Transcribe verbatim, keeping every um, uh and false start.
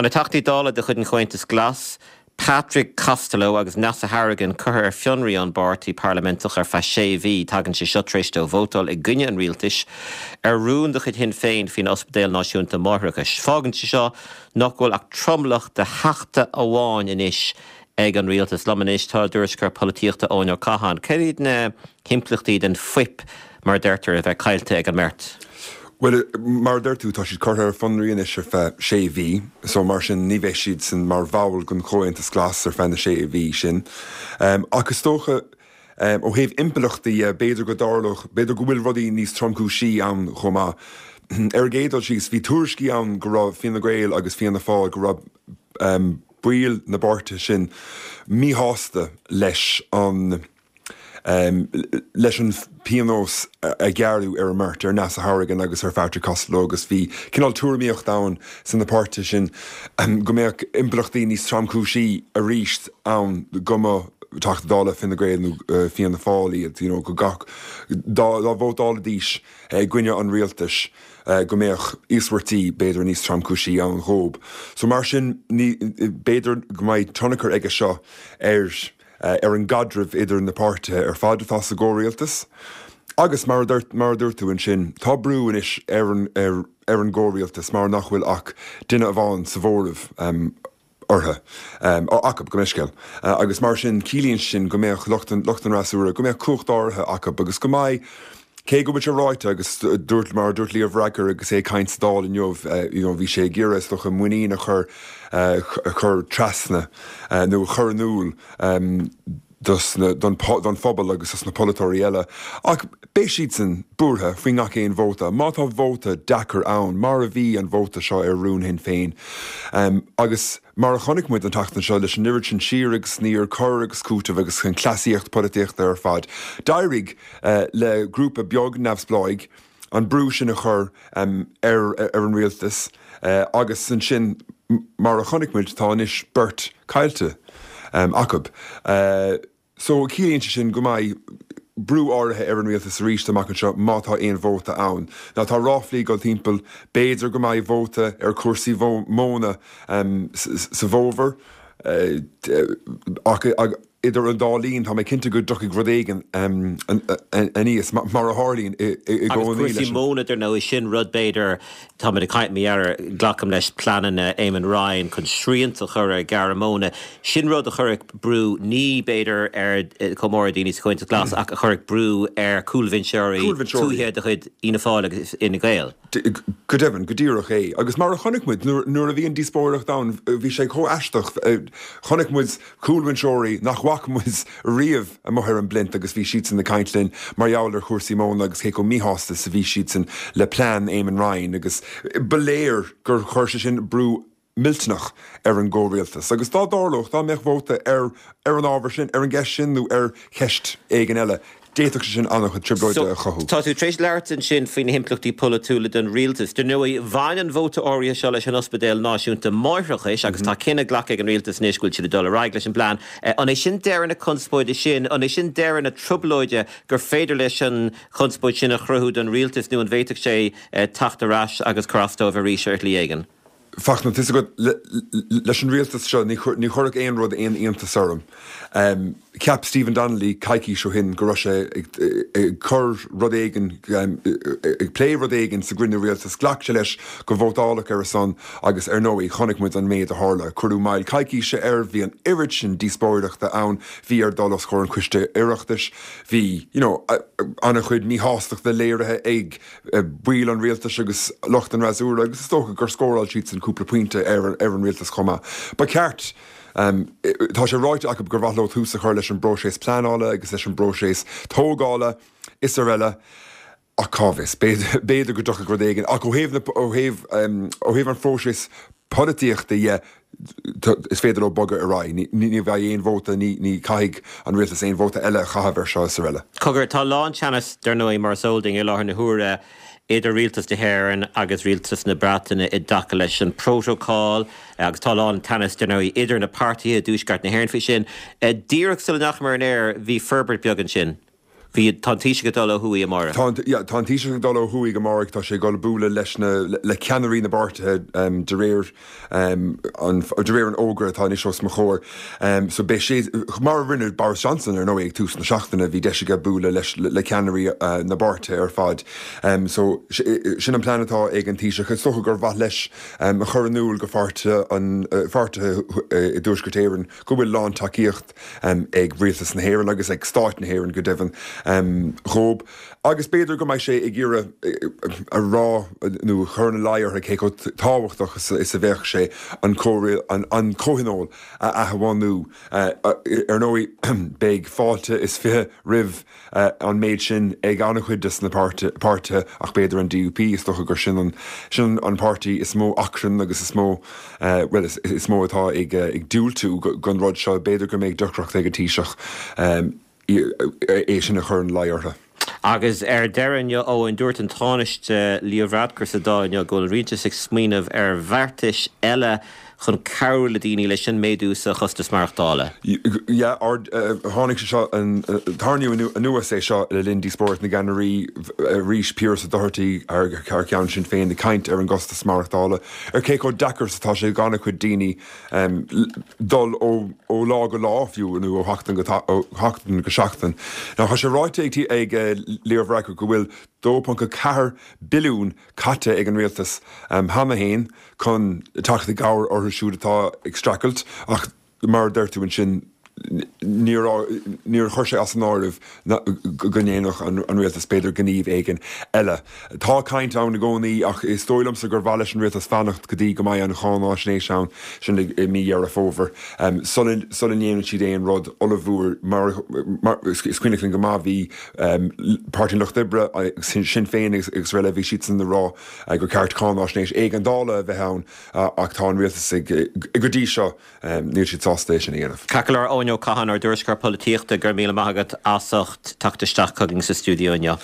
Tá na Teachtaí Dála de chuid an Chomhaontais Glas, Patrick Costello agus Neasa Hourigan curtha ar fionraí ón bpáirtí parlaiminteach ar feadh sé mhí. Tagann sé seo tar éis dóibh vótáil i gcoinne an rialtais ar rún de chuid Shinn Féin faoin Ospidéal Náisiúnta Máithreachais. Fágann sé seo nach bhfuil ach tromlach de theachta amháin anois ag an rialtas. Liom anois tá ár dtuairisceoir polaitíochta Eoin Ó Catháin. Cad iad na himpleachtaí den fuip mar a deirtear a bheith caillte ag an mbeirt? Bhuel, mar a deir tú, tá siad curtha ar fionraí anois ar feadh sé mhí, so mar sin ní bheidh siadsan mar bhall den Chomhaontas Glas ar feadh na sé mhí sin. Ach is dócha, ó thaobh impleachtaí dhe, b'fhéidir go dtarlódh, b'fhéidir go bhfuil rudaí níos tromchúisí ann chomh maith. Ar an gcéad dul síos, bhí tuairiscí ann go raibh Fine Gael agus Fianna Fáil, go raibh baill na bpáirtithe sin míshásta leis an leis an phionós a gearradh ar an mbeirt, ar Neasa Hourigan agus ar Phatrick Costello agus bhí cineál tuairimíocht ann sna páirtithe sin go mbeadh impleachtaí níos tromchúisí arís ann go mba Teachta Dála Fine Gael nó Fianna Fáil iad, you know, go gach, dá vótálfaidís i gcoinne an rialtais go mbeadh íospartaigh b'fhéidir níos tromchúisí ann dhóib. So mar sin ní, b'fhéidir go mbeidh tionchar aige seo ar ar an gcaidreamh idir na páirtithe ar fad atá sa gcomhrialtas. Agus mar a dúirt, mar a dúirt tú ansin, tá brú anois ar an, ar, ar an gcomhrialtas mar nach bhfuil ach duine amháin sa mhóramh orthu, acu, gabh mo leithscéal. Agus mar sin, ciallaíonn sin go mbeadh lucht an, lucht an fhreasúra, go mbeadh cumhacht áirithe acu agus go mbeidh, cé go bhfuil sé ráite agus dúirt, mar a dúirt Leo Varadkar agus é ag caint sa Dáil inniu, you know, bhí sé ag iarraidh is dócha muinín a chur, a chur trasna nó a chur in iúl dos na, don, don phobal agus dos na polaiteoirí eile. Ach beidh siadsan buartha faoi ngach aon vóta. Má tá vóta deacair ann, mar a bhí an vóta seo ar rún Shinn Féin, agus mar a chonaic muid an tseachtain seo leis an oiread sin siar agus aniar, cur agus cúiteamh agus an chleasaíocht polaitíochta ar fad, d'éirigh le grúpa beag neamhspleáigh an brú sin a chur ar ar an rialtas agus ansin mar a chonaic muid tá anois beirt caillte acu. So ciallaíonn sé sin go mbeidh brú áirithe ar an rialtas arís amach anseo má tá aon vóta ann. Now tá ráflaí ag dul timpeall, b'fhéidir go mbeidh vóta ar chúrsaí móna sa bhfómhar ach idir an dá linn tá mé cinnte go dtiocfaidh rud éigin aníos, mar a tharlaíonn i gcónaí leis an. Agus cúrsaí móna, dar ndóigh, sin rud b'fhéidir, táimid ag caint mar gheall ar, glacaim leis, pleananna Eamon Ryan chun srianta a chur ar ghearradh móna, sin rud a chuirfeadh brú, ní b'fhéidir ar chomh mór ar dhaoine sa Chomhaontas Glas ach a chuirfeadh brú ar chúlbhinseoirí tuaithe de chuid Fhianna Fáil agus Fhine Gael. Go deimhin, go díreach é. Agus mar a chonaic muid nuair a bhí an díospóireacht ann, bhí sé chomh aisteach, chonaic muid cúlbhinseoirí nach bhfaca muid riamh amuigh ar an bplinth agus bhí siadsan ag caint linn mar gheall ar chúrsaí móna agus cé chomh míshásta is a bhí siadsan le plean Eamon Ryan agus ba léir gur chuir sé sin brú millteanach ar an gcomhrialtas. Agus dá dtarlódh, dá mbeadh vóta ar ar an ábhar sin, ar an gceist sin nó ar cheist éigin eile, d'fhéadfadh sé sin an-chuid trioblóide a chothú. Tá tú tar éis labhairt ansin faoi na himpleachtaí polaitiúla don rialtas. Dar ndóigh, bhain an vóta áirithe seo leis an Ospidéal Náisiúnta Máithreachais agus tá cinneadh glactha ag an rialtas anois go bhfuil siad ag dul ar aghaidh leis an bplean. An é sin deireadh na conspóide sin? An é sin deireadh na trioblóide gur féidir leis an chonspóid sin a chruthú don rialtas nó an bhféadfadh sé teacht ar ais agus cur as dóibh arís ar shlí éigin? Fachtna, tá a fhios agat, leis an rialtas seo, ní chuirfeadh aon rud aon iontas orm. Cheap Stephen Donnelly coicís ó shin go raibh sé ag cur rud éigin, ag plé rud éigin sa gcruinniú rialtais. Ghlac sé leis go vótálfadh ar a son agus ar ndóigh chonaic muid an méid a tharla. Cuireadh moill coicíse air, bhí an oiread sin díospóireachta ann, bhí air dul os comhair an choiste Oireachtais, bhí, you know, an-chuid míshástachta léirithe ag baill an rialtais agus lucht an fhreasúra agus is dócha gur scóráil siadsan cúpla pointe ar an rialtas chomh maith. Ba cheart, tá sé ráite acu gur mhaith leo tús a chur leis an bpróiseas pleanála agus leis an bpróiseas tógála is araile ach cá bhfios, b'fhéidir go dtiocfaidh rud éigin ach ó thaobh na, ó thaobh, ó thaobh an phróisis polaitíochta dhe, is féidir leo bogadh ar aghaidh. Ní bheidh aon vóta, ní chaithfidh an rialtas aon vóta eile a chaitheamh air seo is araile. Cogar, tá lánteannas, dar ndóigh, mar is eol duinn i láthair na huaire idir rialtas na hÉireann agus rialtas na Breataine i dtaca leis an bprótocol agus tá lánteannas, dar ndóigh, idir na páirtithe i dTuaisceart na hÉireann faoi sin. Díreach sula ndeachamar ar an aer, bhí forbairt beag ansin. Bhí tá an Taoiseach ag dul ó thuaidh amárach. Tá yeah, tá an Taoiseach ag dul ó thuaidh amárach tá sé ag dul bualadh leis na le ceannairí na bpáirtithe um, de réir um, an, de réir an fhógra atá anois os mo chomhair. Um, so beidh sé mar a rinne Boris Johnson ar ndóigh ag tús na seachtaine bhí deis aige bualadh leis le ceannairí uh, na bpáirtithe ar fad. Um, so sin an plean atá ag an Taoiseach is dócha gur mhaith leis um, a chur in iúl go pháirtithe an uh, pháirtithe uh, i dTuaisceart Éireann go bhfuil lántacaíocht um, ag rialtas na hÉireann agus ag stát na hÉireann go deimhin um, dhóibh. Agus b'fhéidir go mbeidh sé ag iarraidh a rá nó chur ina luí orthu cé chomh tábhachtach is a bheadh sé an an, an comhthionól a athbhunú ar ndóigh beidh fáilte is fiche roimh an méid sin ag an-chuid des na páirtithe ach b'fhéidir an DUP is dócha gur sin an, sin an páirtí is mó achrann agus is mó uh, well, is, is mó atá ag, ag diúltú don rud seo b'fhéidir go mbeidh deacracht ag an Taoiseach um, é sin a chur ina luí orthu. Agus ar deireadh inniu Eoin dúirt an Tánaiste Leo Varadkar sa Dáil inniu go bhfuil rialtas ag smaoineamh ar bheartais eile chun cabhrú le daoine leis an méadú sa chostas maireachtála. Yeah, tháinig sé seo tarraingíodh anuas é seo le linn díospóireacht na gceannairí arís Pearse Doherty ar cheann Sinn Féin ag caint ar an gcostas maireachtála. Ar cé chomh deacair is atá sé do chuid daoine um, dul ó, ó lá go lá fiú nó ó sheachtain go seachtain go seachtain. Now tá sé ráite ag ag uh, Leo Varadkar go bhfuil dó ponc ceathair billiún caite ag an rialtas um, cheana féin chun teacht i gcabhair orthu siúd atá ag streachailt ach mar deir tú ansin níor chuir sé as an áireamh go ndéanfadh an, an rialtas b'fhéidir gníomh éigin eile. Tá caint ann i gcónaí ach is dóigh liomsa gur mhaith leis an rialtas fanacht go dtí go mbeidh an cháinaisnéis ann sin i mí Dheireadh Fómhair. Um, sula ndéanann siad aon rud ollmhór mar, mar is cuimhin linn go maith bhí um, Páirtí an Lucht Oibre sin, Sinn Féin agus, agus eile bhí siad ag rá uh, gur ceart cáinaisnéis éigeandála a bheith ann uh, ach tá an rialtas ag, go dtí seo um, níl siad sásta é sin a dhéanamh. Ceart go leor Eoin Ó Catháin ár dtuairisceoir polaitíochta go raibh míle maith agat as ucht teacht isteach chugainn sa stiúideo inniu.